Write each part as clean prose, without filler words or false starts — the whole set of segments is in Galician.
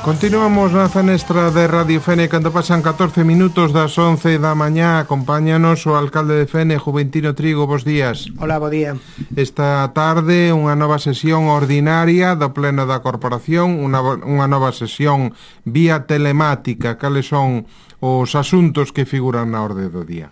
Continuamos na fenestra de Radio Fene cando pasan 14 minutos das 11 da mañá. Acompáñanos o alcalde de Fene, Juventino Trigo. Bos días. Hola, bo día. Esta tarde unha nova sesión ordinaria do Pleno da Corporación, unha nova sesión vía telemática. Cales son os asuntos que figuran na orde do día?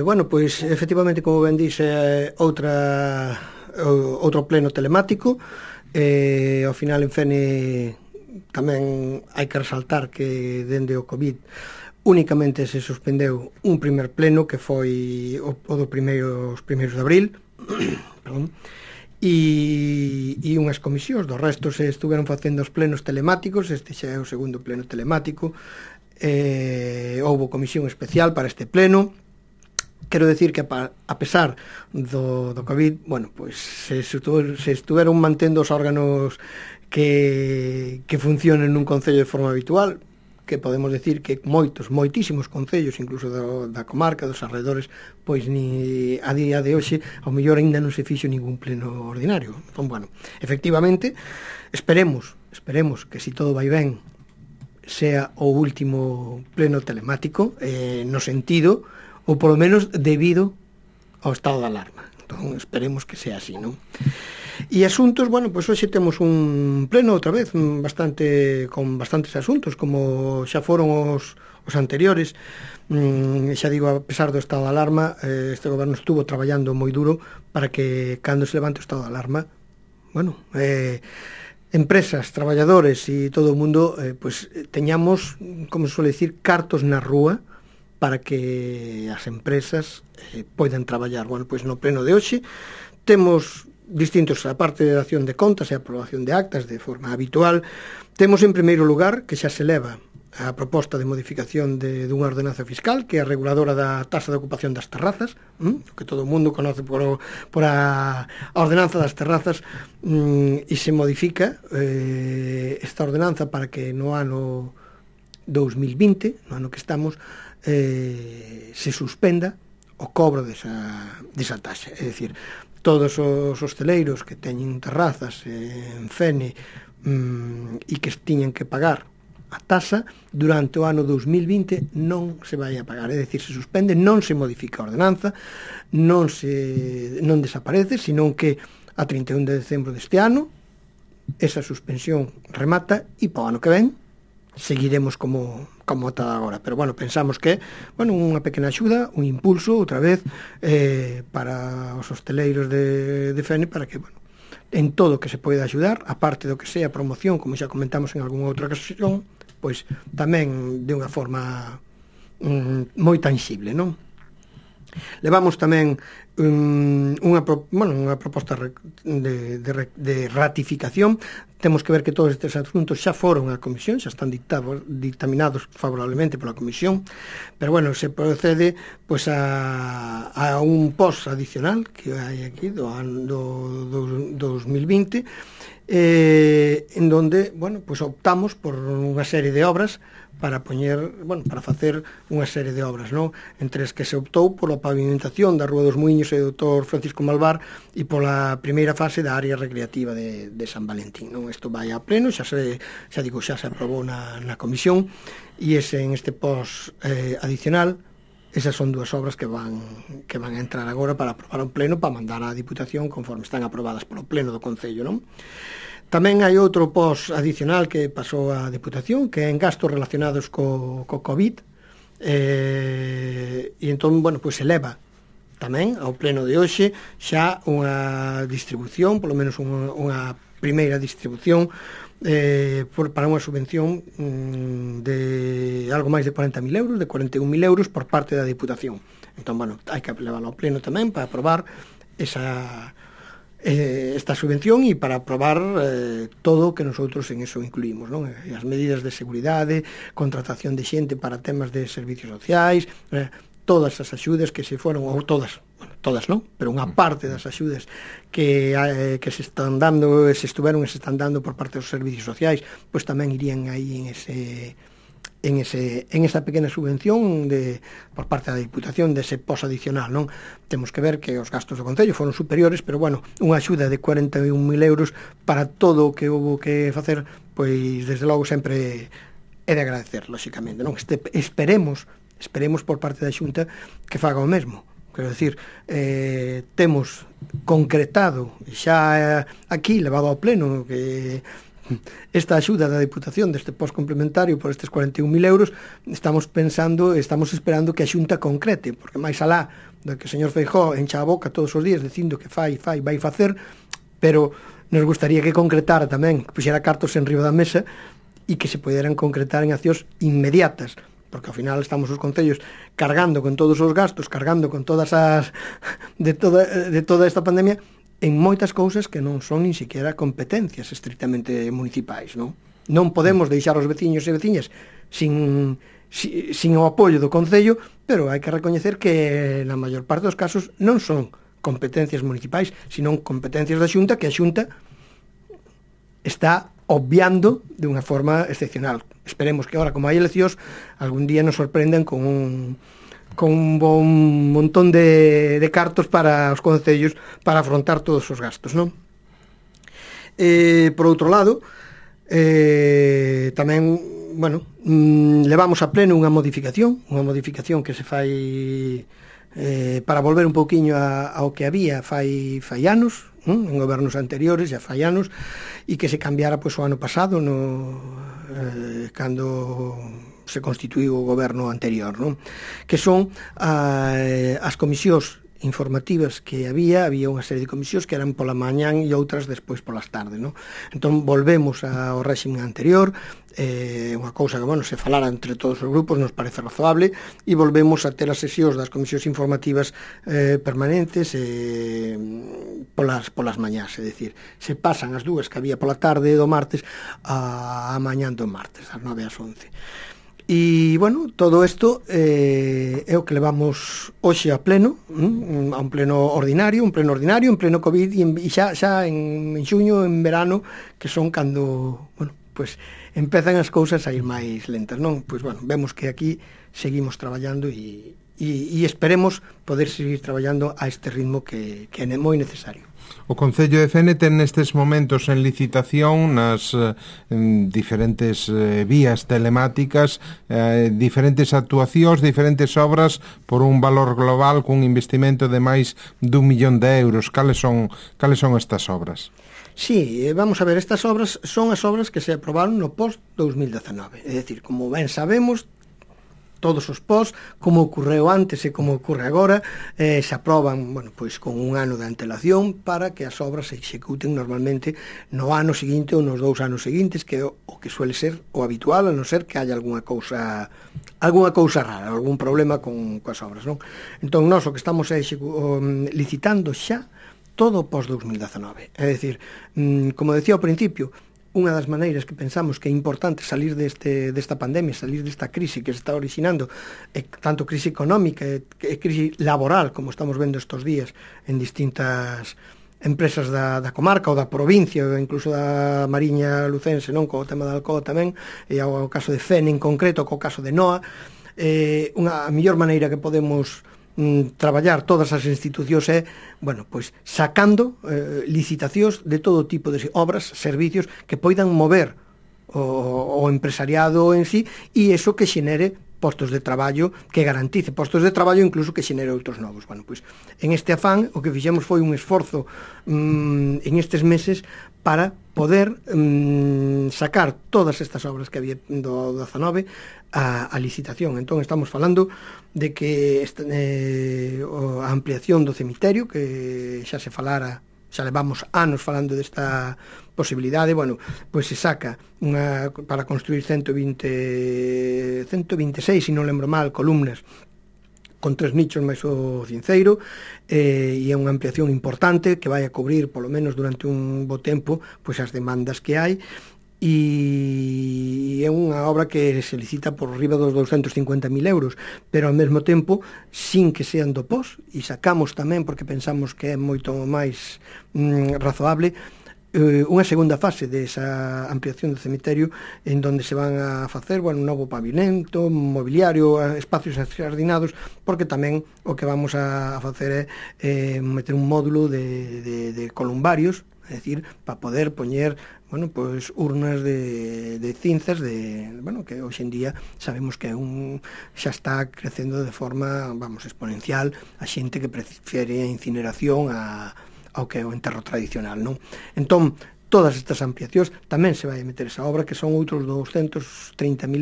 Bueno, pois, efectivamente, como ben dixe, outro pleno telemático. Ao final en Fene tamén hai que resaltar que dende o COVID únicamente se suspendeu un primer pleno que foi o dos primeiros de abril perdón, e unhas comisións. Do resto se estuveron facendo os plenos telemáticos. Este xa é o segundo pleno telemático. Houbo comisión especial para este pleno. Quero decir que a pesar do COVID, bueno, pois se estuveron mantendo os órganos que funcionen nun concello de forma habitual, que podemos decir que moitísimos concellos, incluso da comarca, dos arredores, pois ni a día de hoxe, ao mellor aínda non se fixo ningún pleno ordinario. Entón, bueno, efectivamente, esperemos que se todo vai ben, sea o último pleno telemático, no sentido, ou polo menos debido ao estado de alarma. Entón, esperemos que sea así, non? E asuntos, bueno, pois hoxe temos un pleno outra vez con bastantes asuntos, como xa foron os anteriores. Xa digo, a pesar do estado de alarma, este goberno estuvo traballando moi duro para que cando se levante o estado de alarma, bueno, empresas, traballadores e todo o mundo, pois teñamos, como se suele decir, cartos na rúa para que as empresas poidan traballar. Bueno, pois no pleno de hoxe temos distintos, a parte de acción de contas e a aprobación de actas de forma habitual. Temos en primeiro lugar que xa se leva a proposta de modificación dunha ordenanza fiscal, que é a reguladora da taxa de ocupación das terrazas, que todo o mundo conoce por a ordenanza das terrazas, e se modifica esta ordenanza para que no ano 2020, no ano que estamos, se suspenda o cobro desa taxa. É dicir, todos os hosteleiros que teñen terrazas en Fene e que tiñen que pagar a taxa durante o ano 2020 non se vai a pagar. É dicir, se suspende, non se modifica a ordenanza, non desaparece, senón que a 31 de decembro deste ano esa suspensión remata e para o ano que ven seguiremos como está agora. Pero, bueno, pensamos que, bueno, unha pequena axuda, un impulso, outra vez, para os hosteleiros de Fene, para que, bueno, en todo que se poida axudar, aparte do que sea promoción, como xa comentamos en algunha outra ocasión, pois tamén de unha forma moi tangible, non? Levamos tamén unha proposta de ratificación. Temos que ver que todos estes asuntos xa foron á comisión, xa están dictaminados favorablemente pola comisión, pero, bueno, se procede pois a un post adicional que hai aquí do 2020, en donde, bueno, pois optamos por unha serie de obras para facer unha serie de obras, non? Entre as que se optou pola pavimentación da Rúa dos Muiños e do Dr. Francisco Malvar e pola primeira fase da área recreativa de San Valentín, non? Isto vai a pleno, xa se aprobou na comisión, e en este post adicional, esas son dúas obras que van a entrar agora para aprobar un pleno, para mandar á Diputación conforme están aprobadas polo pleno do Concello, non? Tamén hai outro post adicional que pasou á Diputación, que é en gastos relacionados co COVID, e entón, bueno, pois se leva tamén ao pleno de hoxe xa unha distribución, polo menos unha primeira distribución, para unha subvención de algo máis de 40.000 euros, de 41.000 euros por parte da Diputación. Entón, bueno, hai que levarlo ao pleno tamén para aprobar esta subvención e para aprobar todo o que nosotros en eso incluímos, non? As medidas de seguridade, contratación de xente para temas de servicios sociais, todas as axudas que se foron, ou todas non, pero unha parte das axudas que se están dando, se están dando por parte dos servicios sociais, pois tamén irían aí en esa pequena subvención por parte da Diputación dese pos adicional, non? Temos que ver que os gastos do Concello foron superiores, pero, bueno, unha axuda de 41.000 euros para todo o que houve que facer pois desde logo sempre é de agradecer, lóxicamente, non? Esperemos por parte da Xunta que faga o mesmo. Quero dicir, temos concretado xa aquí, levado ao pleno, que esta axuda da Diputación deste post complementario por estes 41.000 euros, estamos esperando que a Xunta concrete, porque máis alá do que o señor Feijóo encha a boca todos os días dicindo que vai facer, pero nos gustaría que concretara tamén, que puxera cartos en riba da mesa e que se poderan concretar en accións inmediatas, porque ao final estamos os concellos cargando con todos os gastos, cargando con todas as de toda esta pandemia, en moitas cousas que non son nin siquiera competencias estrictamente municipais, non? Non podemos deixar os veciños e veciñas sin o apoio do Concello, pero hai que recoñecer que na maior parte dos casos non son competencias municipais, sino competencias da Xunta, que a Xunta está obviando de unha forma excepcional. Esperemos que agora, como hai eleccións, algún día nos sorprendan con un bon montón de cartos para os concellos para afrontar todos os gastos, non? Por outro lado, tamén, bueno, levamos a pleno unha modificación que se fai para volver un pouquiño ao que había fai anos, en gobernos anteriores, já fai anos, e que se cambiara pois o ano pasado, cando se constituiu o goberno anterior, non? Que son as comisións informativas que había unha serie de comisións que eran pola mañán e outras despois polas tardes, non? Entón volvemos ao réxime anterior, unha cousa que, bueno, se falara entre todos os grupos nos parece razoable, e volvemos a ter as sesións das comisións informativas permanentes polas mañás, é dicir, se pasan as dúas que había pola tarde do martes a mañán do martes, ás 9 ás 11. E, bueno, todo isto é o que levamos hoxe a pleno, a un pleno ordinario, en pleno COVID, e xa en xuño, en verano, que son cando, bueno, pues empezan as cousas a ir máis lentas, non? Pois, bueno, vemos que aquí seguimos traballando e esperemos poder seguir traballando a este ritmo que é moi necesario. O Concello de Fene ten nestes momentos en licitación nas diferentes vías telemáticas, diferentes actuacións, diferentes obras por un valor global cun investimento de máis d'1 millón de euros. Cales son estas obras? Sí, vamos a ver, estas obras son as obras que se aprobaron no post-2019. É dicir, como ben sabemos, todos os pós, como ocorreu antes e como ocorre agora, se aproban, bueno, pois con un ano de antelación para que as obras se executen normalmente no ano seguinte ou nos 2 anos seguintes, que é o que suele ser o habitual, a non ser que haya algunha cousa rara, algún problema coas obras, non? Entón, nós o que estamos licitando xa todo pós-2019. É dicir, como decía ao principio, unha das maneiras que pensamos que é importante salir desta pandemia, salir desta crise que se está originando, tanto crise económica e crise laboral, como estamos vendo estes días en distintas empresas da comarca ou da provincia, ou incluso da Mariña Lucense, non, co tema da Alcoa tamén, e ao caso de Fene en concreto, co caso de Noa, a mellor maneira que podemos traballar todas as institucións é, bueno, pois sacando licitacións de todo tipo de obras, servicios que poidan mover o empresariado en sí, e iso que xenere postos de traballo, que garantice postos de traballo, incluso que xenere outros novos. Bueno, pois en este afán o que fixemos foi un esforzo en estes meses para poder sacar todas estas obras que había do 19 a licitación. Entón estamos falando de que a ampliación do cemiterio, que xa se falara, xa levamos anos falando desta posibilidade, bueno, pois se saca para construir 126, se non lembro mal, columnas con 3 nichos máis o cinceiro, e é unha ampliación importante que vai a cubrir, polo menos durante un bo tempo, pois as demandas que hai, e é unha obra que se licita por riba dos 250.000 euros, pero ao mesmo tempo sin que sean do pós, e sacamos tamén, porque pensamos que é moito máis razoable, unha segunda fase desa ampliación do cemiterio, en donde se van a facer, bueno, un novo pavimento, mobiliario, espacios axardinados, porque tamén o que vamos a facer é meter un módulo de columbarios, é dicir, para poder poñer bueno, pois urnas de cinzas bueno, que hoxe en día sabemos que xa está crecendo de forma, vamos, exponencial a xente que prefiere a incineración ao que é o enterro tradicional, non? Entón, todas estas ampliacións tamén se vai meter esa obra, que son outros 230.000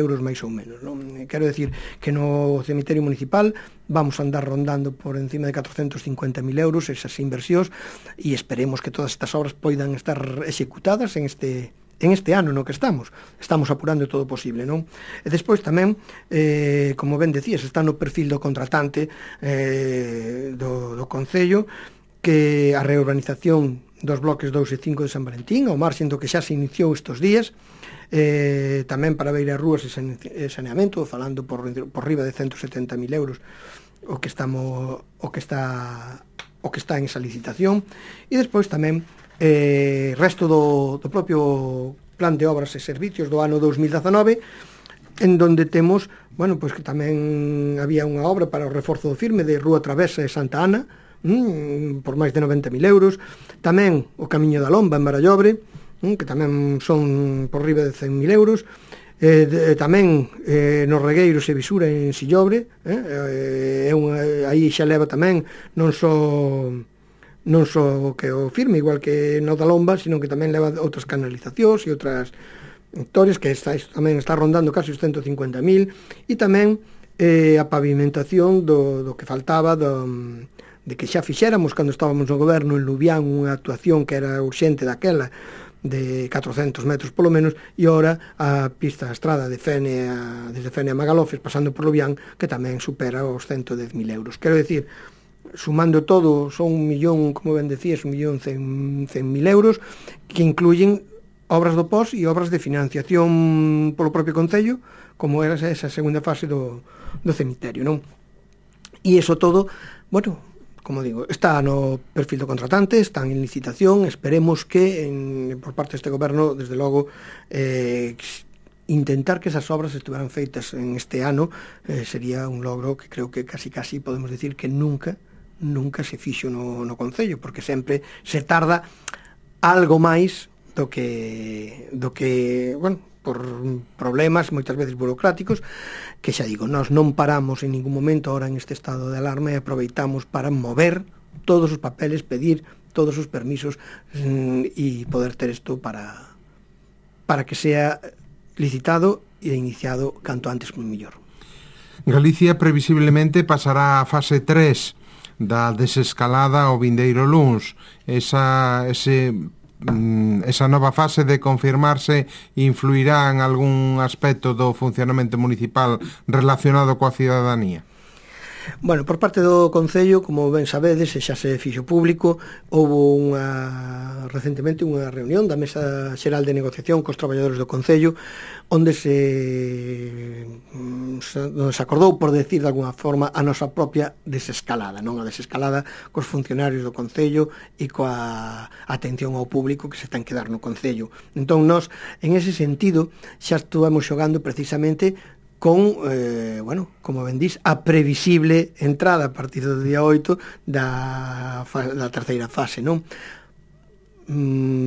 euros máis ou menos, non? Quero decir que no cemiterio municipal vamos a andar rondando por encima de 450.000 euros esas inversións, e esperemos que todas estas obras poidan estar executadas en este ano no que estamos apurando todo o posible, non? E despois tamén, como ben decías, está no perfil do contratante do Concello, que a reurbanización dos bloques 2 e 5 de San Valentín, ao marxen do que xa se iniciou estes días, tamén para Beira Rúas e saneamento, falando por riba de 170.000 euros o que está en esa licitación. E despois tamén resto do propio plan de obras e servicios do ano 2019, en donde temos, bueno, pois que tamén había unha obra para o reforzo do firme de Rúa Travesa e Santa Ana, por máis de 90.000 euros, tamén o Camiño da Lomba en Barallobre, que tamén son por riba de 100.000 euros, tamén nos Regueiros e Visura en Sillobre, aí xa leva tamén non só que o firme, igual que no da Lomba, sino que tamén leva outras canalizacións e outras historias, que isto tamén está rondando casi os 150.000, e tamén a pavimentación do que faltaba de que xa fixéramos cando estábamos no goberno en Lubián, unha actuación que era urxente daquela, de 400 metros polo menos, e ora a pista a estrada desde Fene a Magalofes, pasando por Lubián, que tamén supera os 110.000 euros. Quero decir, sumando todo, son 1.000.000, como ben decías, 1.100.000 euros, que incluyen obras do POS e obras de financiación polo propio Concello, como era esa segunda fase do cemiterio, non? E iso todo, bueno, como digo, está no perfil do contratante, está en licitación, esperemos que por parte deste goberno, desde logo, intentar que esas obras estuveran feitas en este ano sería un logro que creo que casi podemos decir que nunca se fixo no Concello, porque sempre se tarda algo máis do que bueno, por problemas moitas veces burocráticos, que xa digo, nós non paramos en ningún momento ahora en este estado de alarma e aproveitamos para mover todos os papeles, pedir todos os permisos e poder ter isto para que sea licitado e iniciado canto antes como mellor. Galicia previsiblemente pasará a fase 3 da desescalada o vindeiro luns. Esa nova fase de confirmarse influirá en algún aspecto do funcionamento municipal relacionado coa cidadanía? Bueno, por parte do Concello, como ben sabedes, xa se fixo público, houve recentemente unha reunión da Mesa Xeral de Negociación cos traballadores do Concello, onde se acordou, por decir de alguna forma, a nosa propia desescalada, non a desescalada cos funcionarios do Concello e coa atención ao público que se ten que dar no Concello. Entón, nós, en ese sentido, xa estuvamos xogando precisamente con, bueno, como ben dís, a previsible entrada a partir do día 8 da terceira fase, non?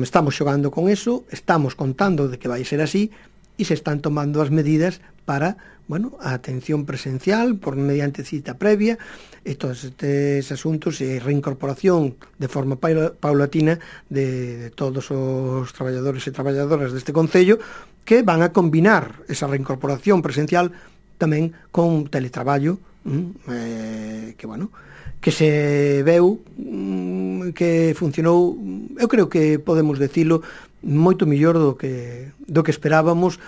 Estamos xogando con eso, estamos contando de que vai ser así, e se están tomando as medidas para, bueno, a atención presencial por mediante cita previa e todos estes asuntos e reincorporación de forma paulatina de todos os traballadores e traballadoras deste Concello, que van a combinar esa reincorporación presencial tamén con teletraballo, que, bueno, que se veu, que funcionou, eu creo que podemos decilo, moito mellor do que esperábamos.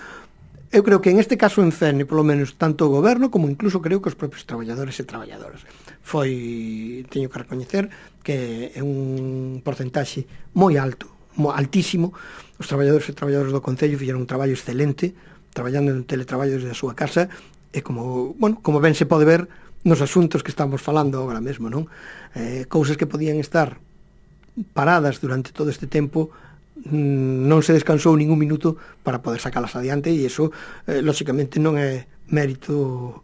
Eu creo que en este caso en Fene, polo menos, tanto o goberno como incluso creo que os propios traballadores e traballadoras. Teño que recoñecer que é un porcentaxe moi alto, altísimo. Os traballadores e traballadoras do Concello fixeron un traballo excelente, traballando en teletraballo desde a súa casa, e como ben se pode ver nos asuntos que estamos falando agora mesmo, non? Cousas que podían estar paradas durante todo este tempo, non se descansou ningún minuto para poder sacalas adiante, e iso, lóxicamente, non é mérito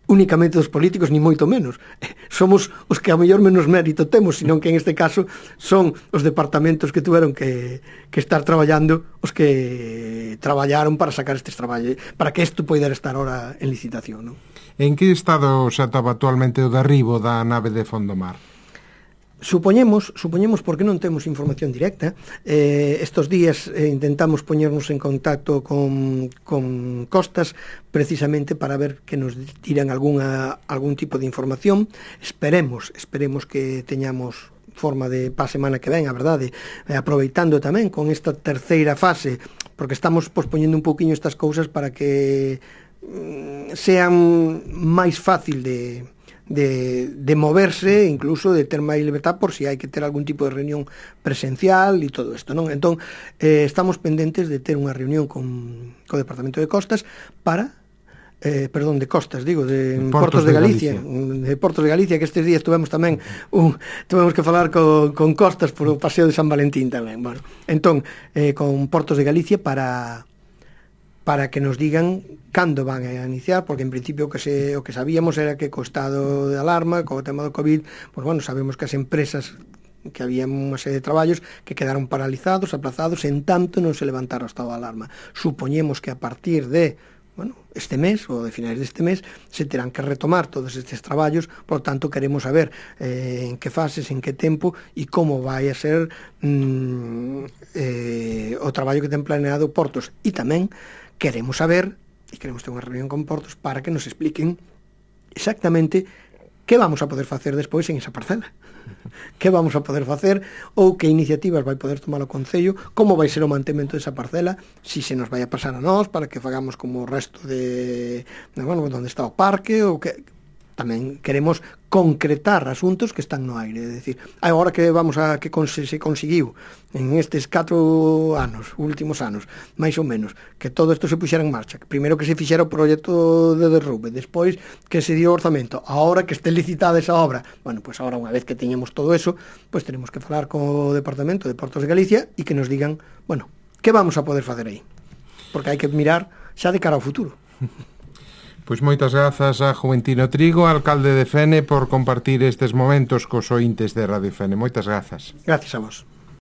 únicamente dos políticos, ni moito menos. Somos os que a mellor menos mérito temos, senón que en este caso son os departamentos que tuveron que estar traballando, os que traballaron para sacar estes traballos, para que isto poidera estar ahora en licitación, non? En que estado se ataba actualmente o derribo da nave de Fondomar? Supoñemos, porque non temos información directa, estos días intentamos poñernos en contacto con Costas precisamente para ver que nos tiran algún tipo de información. Esperemos que teñamos forma de pa semana que ven, a verdade, aproveitando tamén con esta terceira fase, porque estamos pospoñendo un pouquiño estas cousas para que sean máis fácil de moverse, incluso de ter máis libertad por si hai que ter algún tipo de reunión presencial e todo isto, non? Entón, estamos pendentes de ter unha reunión co Departamento de Costas para perdón, de Costas, digo, de Portos de Galicia. De Portos de Galicia, que estes días tuvemos tamén tuvemos que falar con Costas por o paseo de San Valentín tamén. Bueno, entón, con Portos de Galicia para que nos digan cando van a iniciar, porque en principio o que sabíamos era que co estado de alarma, co tema do COVID, pues bueno, sabemos que as empresas, que había unha serie de traballos que quedaron paralizados, aplazados, en tanto non se levantara o estado de alarma. Supoñemos que a partir de este mes, ou de finais deste mes, se terán que retomar todos estes traballos, por tanto queremos saber en que fases, en que tempo e como vai a ser o traballo que ten planeado Portos, e tamén queremos saber, e queremos ter unha reunión con Portos para que nos expliquen exactamente que vamos a poder facer despois en esa parcela. Que vamos a poder facer ou que iniciativas vai poder tomar o Concello, como vai ser o mantemento desa parcela, si se nos vai a pasar a nós para que fagamos como o resto de onde está o parque, ou que tamén queremos concretar asuntos que están no aire, é dicir, agora que vamos a que se conseguiu en estes 4 anos, últimos anos, máis ou menos, que todo isto se puxera en marcha, primeiro que se fixera o proxecto de derrube, despois que se dio o orzamento, agora que este licitada esa obra, bueno, pois agora unha vez que teñemos todo eso, pois tenemos que falar co Departamento de Portos de Galicia e que nos digan, bueno, que vamos a poder facer aí, porque hai que mirar xa de cara ao futuro. Pois moitas grazas a Juventino Trigo, alcalde de Fene, por compartir estes momentos cos ointes de Radio Fene. Moitas grazas. Gracias a vos.